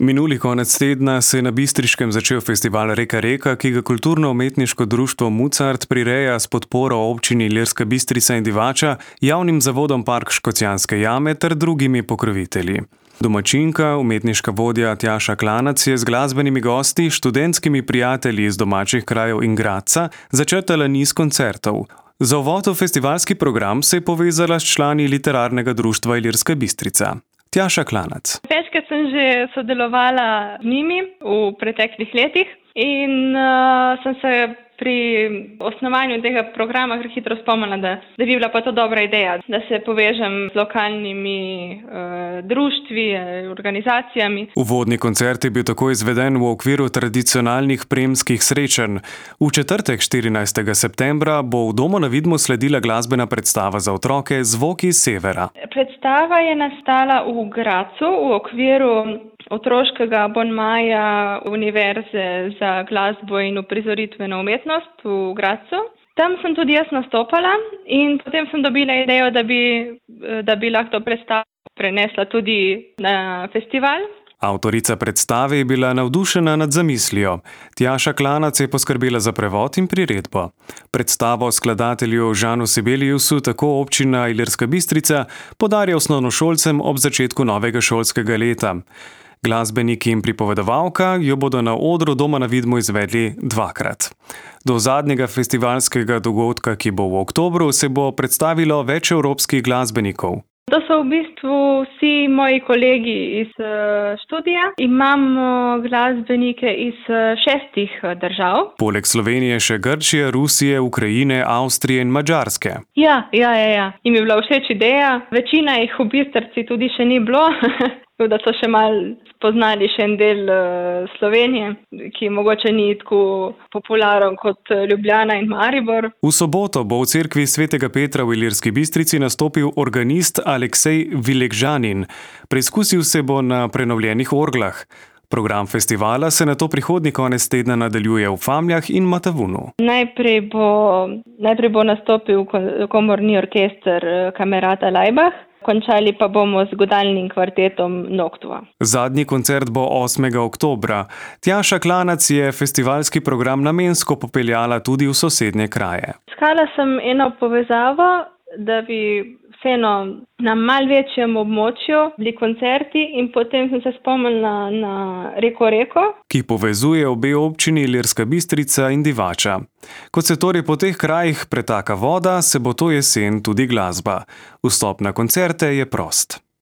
Minuli konec tedna se je na Bistriškem začel festival Reka Reka, ki ga kulturno-umetniško društvo Mucart prireja s podporo občini Ilirska Bistrica in Divača, javnim zavodom Park Škocjanske jame ter drugimi pokrovitelji. Domačinka, umetniška vodja Tjaša Klanac je z glasbenimi gosti, študentskimi prijatelji iz domačih krajev in Gradca začrtala niz koncertov. Za uvod v festivalski program se je povezala s člani literarnega društva Ilirska Bistrica. Tjaša Klanac. Večkrat sem že sodelovala z njimi v preteklih letih in sem se pri osnovanju tega programa hitro spomnila, da bi bila pa to dobra ideja, da se povežem z lokalnimi društvi, organizacijami. Uvodni koncert je bil tako izveden v okviru tradicionalnih premskih srečanj. V četrtek 14. septembra bo v Domu na Vidmu sledila glasbena predstava za otroke Zvoki severa. Predstava je nastala v Gradcu v okviru otroškega abonmaja Univerze za glasbo in uprizoritveno umetnost v Gradcu. Tam sem tudi jaz nastopala in potem sem dobila idejo, da bi lahko predstavo prenesla tudi na festival. Avtorica predstave je bila navdušena nad zamislijo. Tjaša Klanac je poskrbela za prevod in priredbo. Predstavo skladatelju Žanu Sibeliusu tako občina Ilirska Bistrica podarja osnovnošolcem ob začetku novega šolskega leta. Glasbeniki in pripovedovalka jo bodo na odru Doma na Vidmu izvedli dvakrat. Do zadnjega festivalskega dogodka, ki bo v oktobru, se bo predstavilo več evropskih glasbenikov. To so v bistvu vsi moji kolegi iz študija. Imamo glasbenike iz 6 držav. Poleg Slovenije še Grčije, Rusije, Ukrajine, Avstrije in Madžarske. Ja. Im je bila všeč ideja. Večina jih v Bistrici tudi še ni bilo. Da so še malo spoznali še en del Slovenije, ki mogoče ni tako popularen kot Ljubljana in Maribor. V soboto bo v cerkvi Svetega Petra v Ilirski Bistrici nastopil organist Aleksej Vilegžanin. Preizkusil se bo na prenovljenih orglah. Program festivala se nato prihodnji konec tedna nadaljuje v Famljah in Matavunu. Najprej bo nastopil komorni orkester Kamerata Laibach. Končali pa bomo z godalnim kvartetom Noctua. Zadnji koncert bo 8. oktobra. Tjaša Klanac je festivalski program namensko popeljala tudi v sosednje kraje. Iskala sem eno povezavo, da bi vseeno na malo večjem območju bili koncerti in potem sem se spomnila na Reko Reko, ki povezuje obe občini Ilirska Bistrica in Divača. Kot se torej po teh krajih pretaka voda, se bo to jesen tudi glasba. Vstop na koncerte je prost.